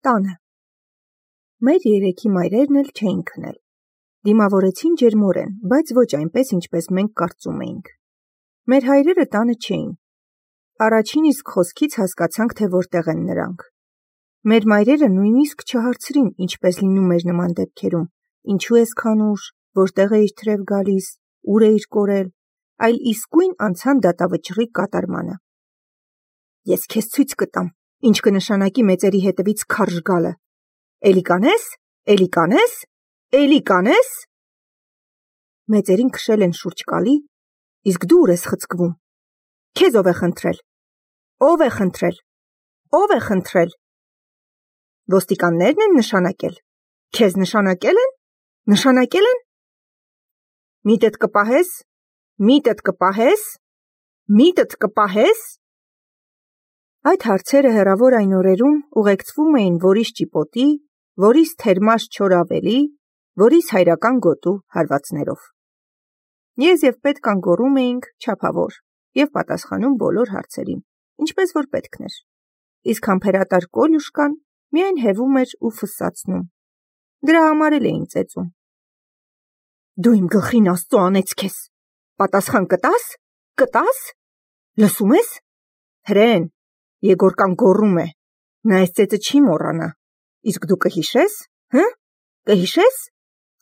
Տանը։ Մեր երեքի մայրերն էլ չէին քնել։ Դիմավորեցին ջերմորեն, բայց ոչ այնպես, ինչպես մենք կարծում էինք։ Մեր հայրերը տանը չէին։ Առաջին իսկ խոսքից հասկացանք, թե որտեղ են նրանք։ Մեր մայրերը նույնիսկ չհարցրին, ինչպես լինում էր նման դեպքերում, ինչու ես քանուշ, որտեղ էիր թրև գալիս, ուր էիր կորել, այլ իսկույն անցան դատավճռի կատարմանը։ Ես քեզ ցույց կտամ, ինչ կնշանակի մեծերի հետևից քարշ գալը։ Էլի կանես, էլի կանես, էլի կանես։ Մեծերին քշել են շուրջ կալի, իսկ դու ուր ես խցկվում։ Քեզ ով է խնդրել։ Ով է խնդրել։ Ով է խնդրել։ Ոստիկաններն են նշանակել։ Քեզ նշանակել են։ Նշանակել են։ Միտդ կպահես, միտդ կպահես, միտդ կպահես։ Այդ հարցերը հեռավոր այն օրերում ուղեկցվում էին որիս ճիպոտի, որիս թերմաշ չոր ավելի, որիս հայրական գոտու հարվածներով։ Ես և պետքան գոռում էինք չափավոր և պատասխանում բոլոր հարցերին, ինչպես որ պետքն էր, իսկ համբերատար Կոլյուշկան միայն հևում էր ու ֆսսացնում։ Դրա համար էլ էին ծեծում։ Դու իմ գլխին Աստծո անեց քեզ։ Պատասխան կտա՞ս։ Կտա՞ս։ Լսում ես։ Հրեն, Եգորկան գոռում է։ Նա այս ծեծը չի մոռանա։ Իսկ դու կհիշես, հը՞։ Կհիշես։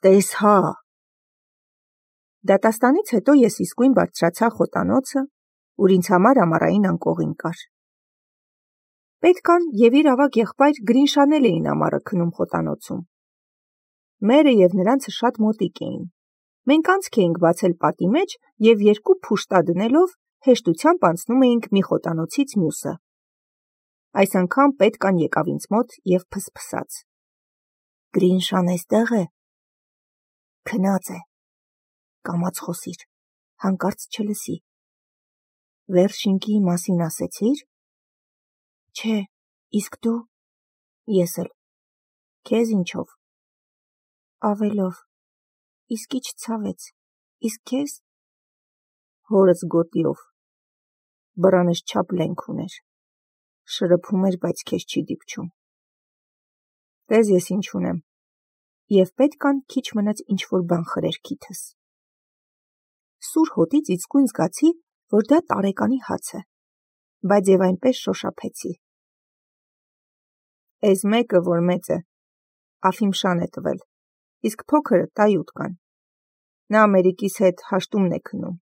Տես հա։ Դատաստանից հետո ես իսկույն բարձրացա խոտանոցը, ուր ինձ համար ամառային անկողին կար։ Պետքան և իր ավագ եղբայր Գրինշանել էին ամառը քնում խոտանոցում։ Մերը և նրանցը շատ մոտիկ էին։ Մենք անցք էինք բացել պատի մեջ և երկու փուշտա դնելով հեշտությամբ անցնում էինք մի խոտանոցից մյուսը։ Այս անգամ պետքան եկավ ինձ մոտ և փսփսաց։ Գրինշան էստեղ է։ Քնած է։ Կամաց խոսիր, հանկարծ չլսի։ Վերշինկի մասին ասեցի՞ր։ Չէ, իսկ դու։ Ես էլ։ Քեզ ինչով։ Ավելով։ Իսկ ինչ ցավեց։ Իսկ քեզ։ Հորս գոտիով։ Բռանս չափ լենք ուներ։ Շրփում էր, բայց քեզ չի դիպչում։ Տես ես ինչ ունեմ։ Եվ պետքան քիչ մնաց ինչ-որ բան խրեր քիթս։ Սուր հոտից իսկույն զգացի, որ դա տարեկանի հաց է, բայց և այնպես շոշափեցի։ Էս մեկը, որ մեծ է, Աֆիմշան է տվել, իսկ փոքրը Տայուտկան։ Նա Ամերիկիս հետ հաշտումն է քնում։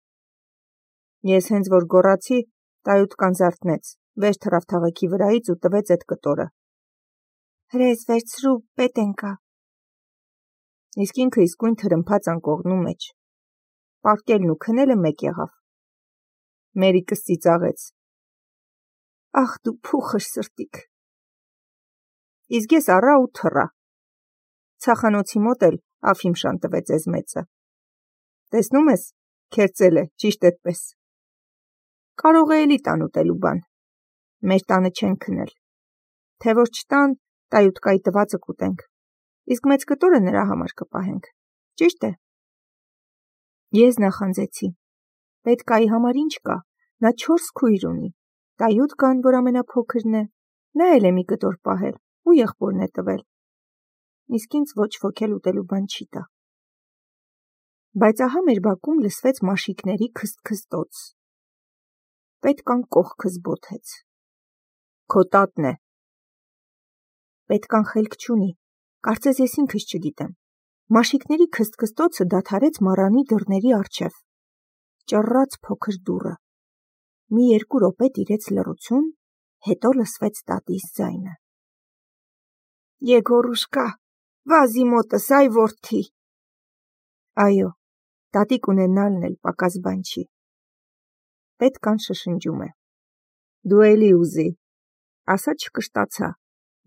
Ես հենց որ գոռացի, Տայուտկան զարթնեց, վեր թռավ թաղեքի վրայից ու տվեց էդ կտորը։ Հրես վերցրու, պետ ենկա։ Իսկ ինքը իսկույն թրմփաց անկողնու մեջ։ Պարկելն ու քնելը մեկ եղավ։ Մերիկս ծիծաղեց։ Ախ դու փուխր սրտիկ։ Իսկ ես առա ու թռա։ Ցախանոցի մոտ էլ Աֆիմշան տվեց էզ մեծը։ Տեսնում ես, քերծել է, ճիշտ էդպես։ Կարող է էլի տան ուտելու բան։ Մեր տանը չեն քնել։ Թե որ չտան, Տայուտկայի տվածը կուտենք, իսկ մեծ կտորը նրա համար կպահենք, ճիշտ է։ Ես նախանձեցի։ Պետքայի համար ինչ կա, նա 4 քույր ունի, Տայուտկան, որ ամենափոքրն է, նա էլ է մի կտոր պահել ու եղբորն է տվել, իսկ ինձ ոչ ոք էլ ուտելու բան չի տա։ Բայց ահա մեր բակում լսվեց մաշիկների քսթքստոց։ Պետքան կողքս բոթեց։ Քո տատն է։ Պետքան խելք չունի, կարծես ես ինքս չգիտեմ։ Մաշիկների քսթքստոցը դադարեց մառանի դռների առջև։ Ճռռաց փոքր դուռը։ Մի 2 րոպե տիրեց լռություն, հետո լսվեց տատիս ձայնը։ Եգորուշկա, վազի մոտս, այ որդի։ Այո, տատիկ ունենալն էլ պակաս բան չի։ Պետքան շշնջում է։ Դու էլի ուզի։ Ասա չկշտացա,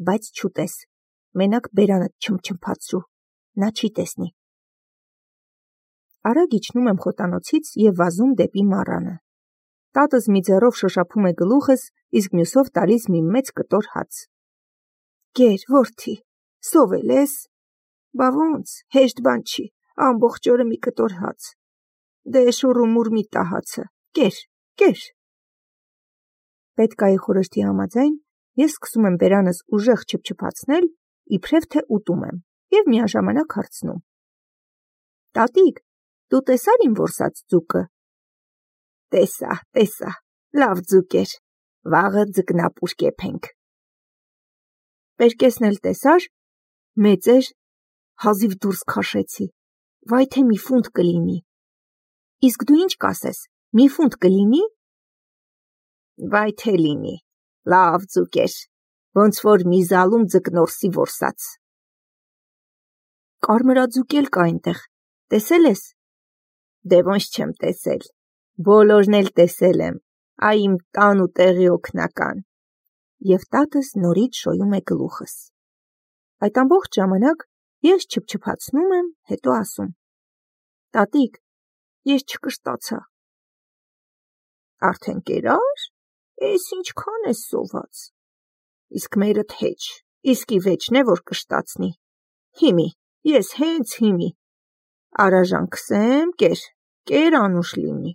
բայց չուտես, մենակ բերանդ չմչմփացրու, նա չի տեսնի։ Արագ իջնում եմ խոտանոցից և վազում դեպի մառանը։ Տատս մի ձեռով շոշափում է գլուխս, իսկ մյուսով տալիս մի մեծ կտոր հաց։ Գեր, որդի, սովել ես։ Բա ոնց, հեշտ բան չի, ամբողջ օրը մի կտոր հաց։ Դե շուռումուռ մի տա հացը, կեր։ Պետքայի խորհրդի համաձայն ես սկսում եմ բերանս ուժեղ չփչփացնել, իբրև թե ուտում եմ, և միաժամանակ հարցնում. Տատիկ, դու տեսար իմ որսած ձուկը։ Տեսա, լավ ձուկ էր, վաղը ձկնապուր կեփենք։ Պերկեսն էլ տեսար, մեծ էր, հազիվ դուրս քաշեցի, վայ թե մի ֆունտ կլինի։ Իսկ դու ինչ կասես, մի ֆունտ կլինի։ Վայ թե լինի, լավ ձուկ էր, ոնց որ մի զալում ձկնորսի որսած։ Կարմրաձուկ էլ կա այնտեղ, տեսել ես։ Դե ոնց չեմ տեսել, բոլորն էլ տեսել եմ, այ իմ տան ու տեղի օգնական։ Եվ տատս նորից շոյում է գլուխս։ Այդ ամբողջ ժամանակ ես չփչփացնում եմ, հետո ասում. Տատիկ, ես չկշտացա։ Արդեն կերար, էս ինչքան ես սոված։ Իսկ մերդ հեչ, իսկի վեճն է, որ կշտացնի։ Հիմի, ես հենց հիմի։ Արաժան քսեմ, կեր անուշ լինի։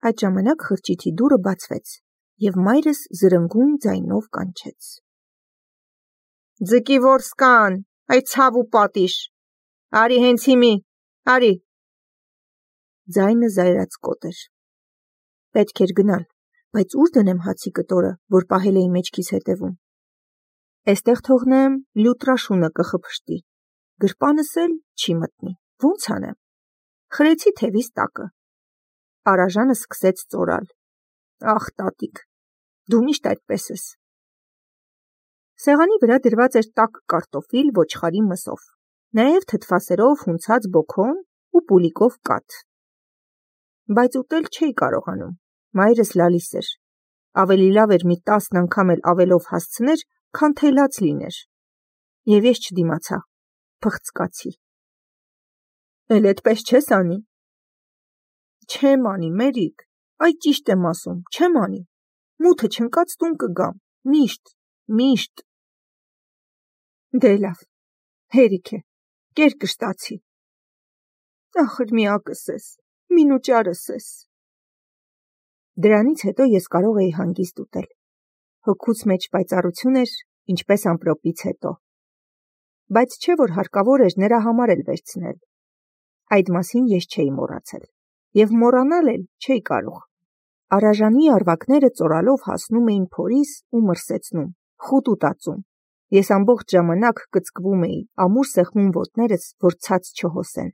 Այդ ժամանակ խրճիթի դուռը բացվեց, և մայրս զրնգուն ձայնով կանչեց. Ձկի որս կան, այ ցավ ու պատիժ, արի հենց հիմի, արի։ Ձայնը զայրացկոտ էր։ Պետք էր գնալ, բայց ուր դնեմ հացի կտորը, որ պահել էի մեջքիս հետևում։ Էստեղ թողնեմ, լյուտրաշունը կխփշտի, գրպանս էլ չի մտնի, ոնց անեմ։ Խրեցի թևիս տակը։ Արաժանը սկսեց ծորալ. Ախ, տատիկ, դու միշտ այդպես ես։ Սեղանի վրա դրված էր տաք կարտոֆիլ ոչխարի մսով, նաև թթվասերով հունցած բոքոն ու պուլիկով կաթ։ Բայց ուտել չէի կարողանում, մայրս լալիս էր։ Ավելի լավ էր մի 10 անգամ էլ ավելով հասցներ, քան թելած լիներ։ Եվ ես չդիմացա, փխցկացի։ Էլ էդպես չես անի։ Չեմ անի, Մերիկ, այ ճիշտ եմ ասում, չեմ անի։ Մութը չընկած տուն կգամ, միշտ։ Դե լավ, հերիք է, կեր կշտացի։ Ախր միակս ես, մինուճարս ես։ Դրանից հետո ես կարող էի հանգիստ ուտել։ Հոգուց մեջ պայծառություն էր, ինչպես ամպրոպից հետո։ Բայց չէ որ հարկավոր էր նրա համար էլ վերցնել։ Այդ մասին ես չէի մոռացել, և մոռանալ էլ չէի կարող։ Արաժանի արվակները ծորալով հասնում էին փորիս ու մրսեցնում, խուտ ու տածում։ Ես ամբողջ ժամանակ կծկվում էի, ամուր սեղմում ոտներս, որ ցած չհոսեն։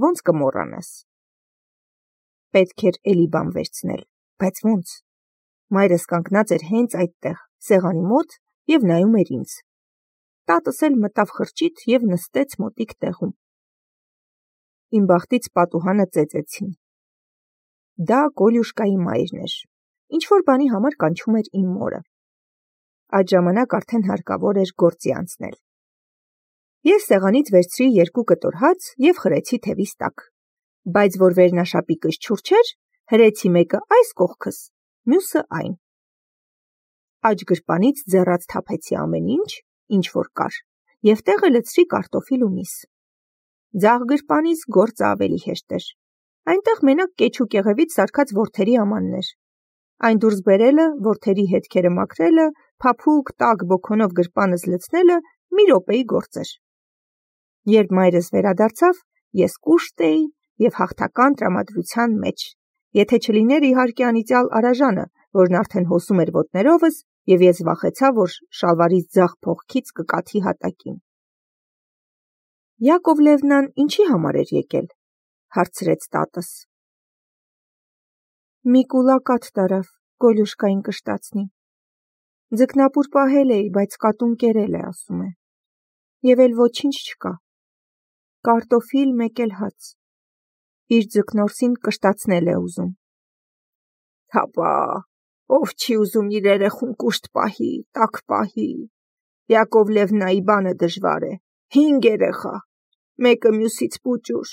Ոնց կմոռանաս։ Պետք էր էլի բան վերցնել, բայց ոնց։ Մայրս կանգնած էր հենց այդտեղ, սեղանի մոտ և նայում էր ինձ։ Տատս էլ մտավ խրճիթ և նստեց մոտիկ տեղում։ Իմ բախտից պատուհանը ծեծեցին։ Դա Կոլյուշկայի մայրն էր, ինչ-որ բանի համար կանչում էր իմ մորը։ Այդ ժամանակ արդեն հարկավոր էր գործի անցնել։ Ես սեղանից վերցրի 2 կտոր հաց և խրեցի թևիս տակ, բայց որ վերնաշապիկս չուրջեր, հրեցի մեկը այս կողքս, մյուսը այն։ Աջ գրպանից ձեռած թափեցի ամեն ինչ որ կար, և տեղը լցրի կարտոֆիլ ու միս։ Ձախ գրպանից գործը ավելի հեշտ էր։ Այնտեղ մենակ կեչ ու կեղևից սարքած որդերի ամանն էր։ Այն դուրս բերելը, որդերի հետքերը մաքրելը, փափուկ տաք բոքոնով գրպանս լցնելը մի րոպեի գործ էր։ Երբ մայրս վերադարձավ, ես կուշտ էի և հաղթական տրամադրության մեջ, եթե չլիներ իհարկե անիծյալ Արաժանը, որն արդեն հոսում էր ոտներովս, և ես վախեցա, որ շալվարիս ձախ փողքից կկաթի հատակին։ Յակովլևնան ինչի համար էր եկել, հարցրեց տատս։ Մի կուլա կաթ տարավ, Կոլյուշկային կշտացնի։ Ձկնապուր պահել էի, բայց կատուն կերել է, ասում է։ Եվ էլ ոչինչ չկա։ Կարտոֆիլ մեկ էլ հաց։ Իր ձկնորսին կշտացնել է ուզում։ Հապա, ով չի ուզում իր երեխուն կուշտ պահի, տաք պահի։ Յակովլևնայի բանը դժվար է, 5 երեխա, մեկը մյուսից պուճուր,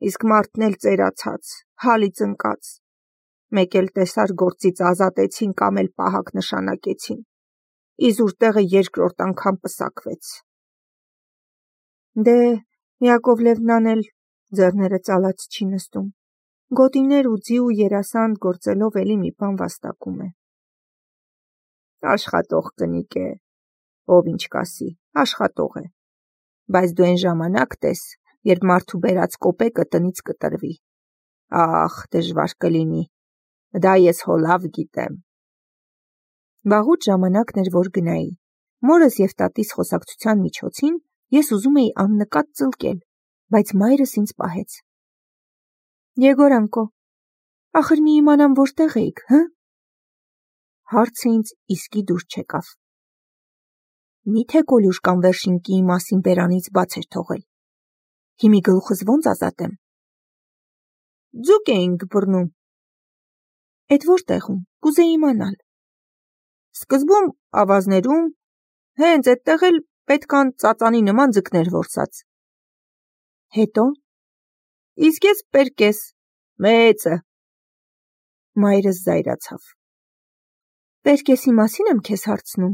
իսկ մարդն էլ ծերացած, հալից ընկած, մեկ էլ տեսար գործից ազատեցին կամ էլ պահակ նշանակեցին, իզուր տեղը 2-րդ անգամ պսակվեց։ Դե, Յակովլևնան էլ ձեռները ծալած չի նստում, գոտիներ ու ձի ու երասանդ գործելով էլի մի բան վաստակում է։ Աշխատող կնիկ է, ով ինչ կասի, աշխատող է, բայց դու այն ժամանակ տես, երբ մարդու բերած կոպեկը տնից կտրվի, ախ, դժվար կլինի, դա ես հո լավ գիտեմ։ Վաղուց ժամանակն էր, որ գնայի, մորս և տատիս խոսակցության միջոցին ես ուզում էի աննկատ ծլկել, բայց մայրս ինձ պահեց։ Եգորանկո, ախր մի իմանամ որտեղ էիք, հը? Հարցը ինձ իսկի դուր չեկավ։ Միթե Կոլյուշկան վերշինկիի մասին բերանից բաց էր թողել։ Հիմի գլուխս ոնց ազատեմ։ Ձուկ էինք բռնում։ Էդ որտեղում, կուզեի իմանալ։ Սկզբում ավազներում, հենց այդտեղ էլ պետքան ծածանի նման ձկներ որսած։ Հետո։ Իսկ ես պերկես, մեծը։ Մայրս զայրացավ։ Պերկեսի մասին եմ քեզ հարցնում։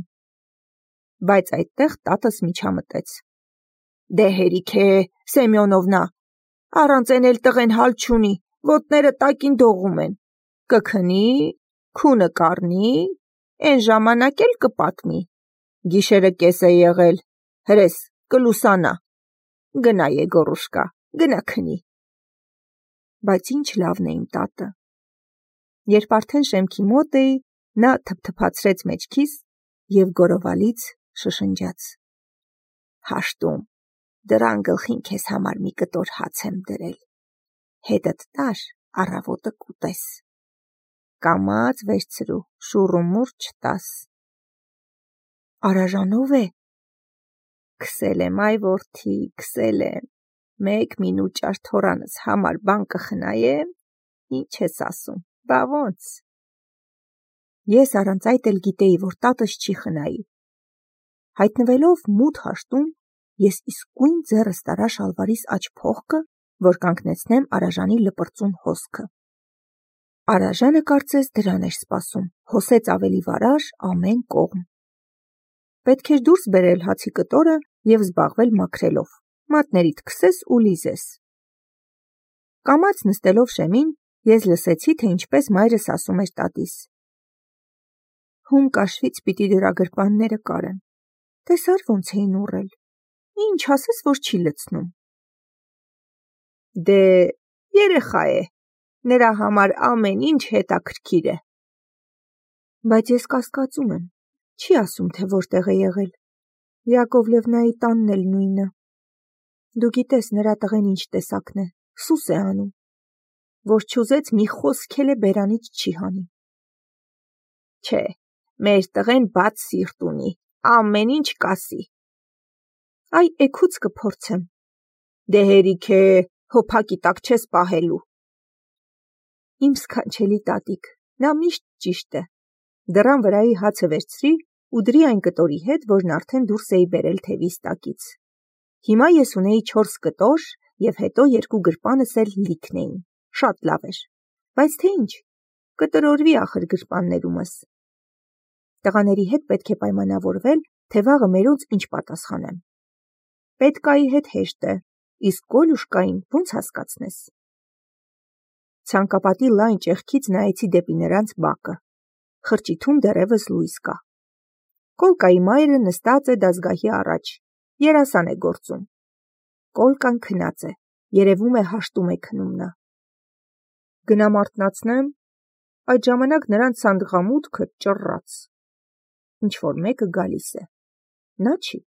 Բայց այդտեղ տատս միջամտեց։ Դե հերիք է, Սեմյոնովնա, առանց են էլ տղեն հալ չունի, ոտները տակին դողում են, կքնի, քունը կառնի, են ժամանակ էլ կպատմի, գիշերը կես է եղել, հրես, կլուսանա, գնա Եգորուշկա, գնա քնի։ Բայց ինչ լավն է իմ տատը։ Երբ արդեն շեմքի մոտ էի, նա թփթփացրեց մեջքիս և գորովալից շշնջաց. Հաշտում, դրան գլխին քեզ համար մի կտոր հաց եմ դրել, հետդ տար, առավոտը կուտես, կամաց վերցրու, շուռումուռ չտաս։ Արաժանով է։ Քսել եմ, այ որդի, քսել եմ, մեկ մինուճար թորանս համար բան կխնայեմ, ինչ ես ասում, բա ոնց։ Ես առանց այդ էլ գիտեի, որ տատս չի խնայի։ Հայտնվելով մութ հաշտում, ես իսկույն ձեռս տարա շալվարիս աջ փողկը, որ կանգնեցնեմ Արաժանի լպրծուն հոսքը։ Արաժանը կարծես դրան էր սպասում, հոսեց ավելի վարար ամեն կողմ։ Պետք էր դուրս բերել հացի կտորը և զբաղվել մաքրելով, մատներիդ քսես ու լիզես։ Կամաց նստելով շեմին, ես լսեցի, թե ինչպես մայրս ասում էր տատիս. Հում կաշվից պիտի դրա գրպանները կարեմ, տեսար ոնց էին ուռել, ինչ ասես, որ չի լցնում։ Դե երեխա է, նրա համար ամեն ինչ հետաքրքիր է։ Բայց ես կասկածում եմ, չի ասում, թե որտեղ է եղել, Յակովլևնայի տանն էլ նույնը։ Դու գիտես նրա տղեն ինչ տեսակն է, սուս է անում, որ չուզեց մի խոսք էլ է բերանից չի հանի։ Չէ, մեր տղեն բաց սիրտ ունի, ամեն ինչ կասի։ Այ էգուց կփորձեմ։ Դե հերիք է, հոփակի տակ չես պահելու։ Իմ սքանչելի տատիկ, նա միշտ ճիշտ է։ Դռան վրայի հացը վերցրի ու դրի այն կտորի հետ, որն արդեն դուրս էի բերել թևիս տակից։ Հիմա ես ունեի 4 կտոր և հետո 2 գրպանս էլ լիքն էին, շատ լավ էր, բայց թե ինչ, կտրորվի ախր գրպաններումս։ Տղաների հետ պետք է պայմանավորվել, թե վաղը մերոնց ինչ պատասխանեմ։ Պետկայի հետ հեշտ է, իսկ Կոլյուշկային ոնց հասկացնես։ Ցանկապատի լայն ճեղքից նայեցի դեպի նրանց բակը։ Խրճիթում դեռևս լույս կա։ Կոլկայի մայրը նստած է դասգահի առաջ, երասան է գործում։ Կոլկան քնած է, երևում է հաշտում է քնում նա։ Գնամ արթնացնեմ, այդ ժամանակ նրանց սանդղամուտքը ճռռաց։ Ինչ-որ մեկը գալիս է։ Նա չի։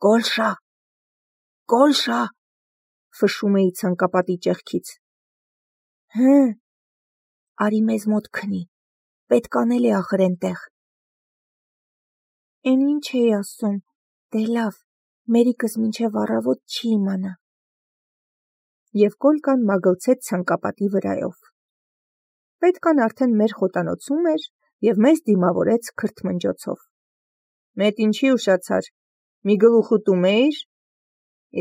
Կոլշա, Կոլշա, ֆշում էի ցանկապատի ճեղքից։ Հը, արի մեզ մոտ քնի, պետք անել է ախր էնտեղ։ Էն ինչ էի ասում, դե լավ, մերիկս մինչև առավոտ չի իմանա։ Եվ Կոլկան մագլցեց ցանկապատի վրայով։ Պետքան արդեն մեր խոտանոցում էր և մեզ դիմավորեց քրթմնջոցով։ Մետ ինչի ուշացար, մի գլուխ ուտում էիր,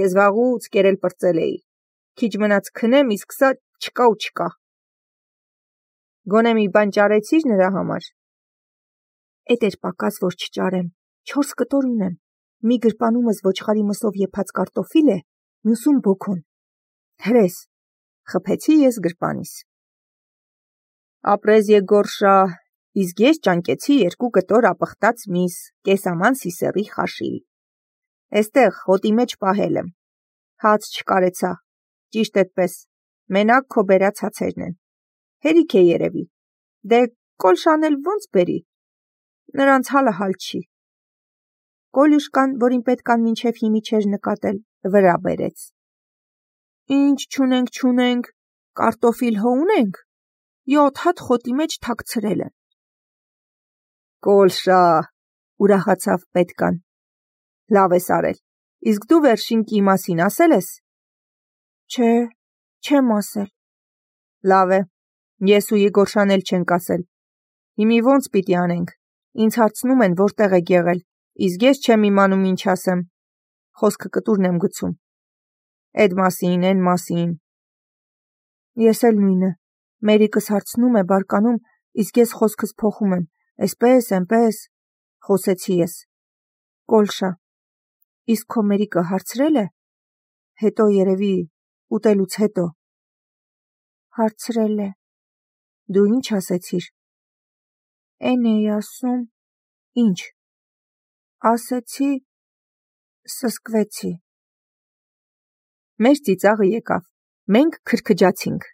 ես վաղուց կերել պրծել էի, քիչ մնաց քնեմ, իսկ սա չկա ու չկա։ Գոնե մի բան ճարեցիր նրա համար։ Էդ էր պակաս, որ չճարեմ, 4 կտոր ունեմ, մի գրպանումս ոչխարի մսով եփած կարտոֆիլ է, մյուսում բոքոն։ Հրես, խփեցի ես գրպանիս։ Ապրես Եգորշա, Իսկ ես ճանկեցի 2 կտոր ապխտած միս, կեսաման սիսեռի խաշի։ Էստեղ հոտի մեջ պահել եմ։ Հաց չկարեցա, ճիշտ էդպես, մենակ քո բերած հացերն են։ Հերիք է երևի, դե Կոլշան էլ ոնց բերի, նրանց հալը հալ չի։ Կոլյուշկան, որին պետքան մինչև հիմի չէր նկատել, վրա բերեց։ Ինչ չունենք, կարտոֆիլ հո ունենք, 7 հատ խոտի մեջ թաքցրել են։ Կոլշա, ուրախացավ պետքան, լավ ես արել, իսկ դու վերջին կի մասին ասել ես։ Չէ, չեմ ասել։ Լավ է, ես ու Եգորշան էլ չենք ասել։ Հիմի ոնց պիտի անենք, ինձ հարցնում են որտեղ եք եղել, իսկ ես չեմ իմանում ինչ ասեմ, խոսքը կտուրն եմ գցում։ Էդ մասին, են մասին։ Ես էլ նույնը, Մերիկս հարցնում է բարկանում, իսկ ես խոսքս փոխում եմ, էսպես, էնպես, խոսեցի ես։ Կոլշա, իսկ քո Մերիկը հարցրել է, հետո երևի, ուտելուց հետո։ Հարցրել է։ Դու ինչ ասեցիր։ Էն էի ասում, ինչ։ Ասեցի, սսկվեցի։ Մեր ծիծաղը եկավ, մենք քրքջացինք,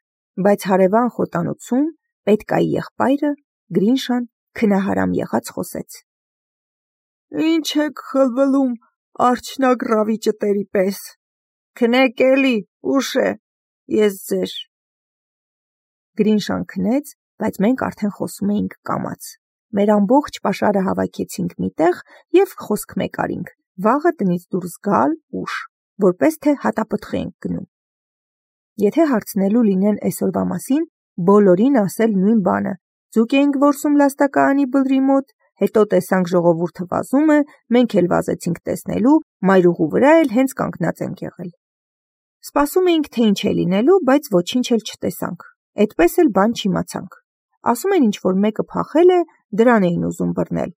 բայց հարևան խոտանոցում պետկայի եղբայրը Գրինշան քնահարամ եղած խոսեց. Ինչ եք խլվլում արջնագռավի ճտերի պես, քնեք էլի, ուշ է, ես ձեր։ Գրինշան քնեց, բայց մենք արդեն խոսում էինք կամաց, մեր ամբողջ պաշարը հավաքեցինք միտեղ և խոսք մեկ արինք, վաղը տնից դուրս գալ ուշ, որպես թե հատապտղի ենք գնում։ Եթե հարցնելու լինեն այսօրվա մասին, բոլորին ասել նույն բանը, ձուկ էինք որսում լաստակայանի բլրի մոտ, հետո տեսանք ժողովուրդը վազում է, մենք էլ վազեցինք տեսնելու, մայրուղու վրա էլ հենց կանգնած ենք եղել։ Սպասում էինք, թե ինչ է լինելու, բայց ոչինչ էլ չտեսանք, այդպես էլ բան չիմացանք։ Ասում են ինչ-որ մեկը փախել է, դրան էին ուզում բռնել։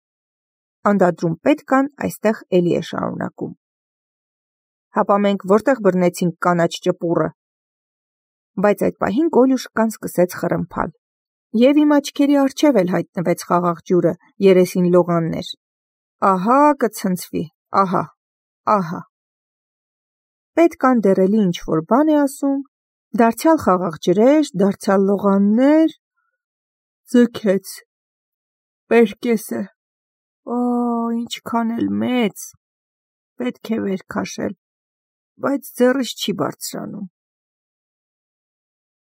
Անդադրում պետքան այստեղ էլի է շարունակում։ Հապա մենք որտեղ բռնեցինք կանաչ ճպուռը։ Բայց այդ պահին Կոլյուշկան սկսեց խռմփալ։ Եվ իմ աչքերի առջև էլ հայտնվեց խաղաղ ջուրը, երեսին լողաններ։ Ահա կցնցվի, ահա։ Պետքան դեռ էլի ինչ-որ բան է ասում, դարձյալ խաղաղ ջրեր, դարձյալ լողաններ, ձգեց, պերկես է, ինչքան էլ մեծ, պետք է վեր քաշել, բայց ձեռս չի բարձրանում։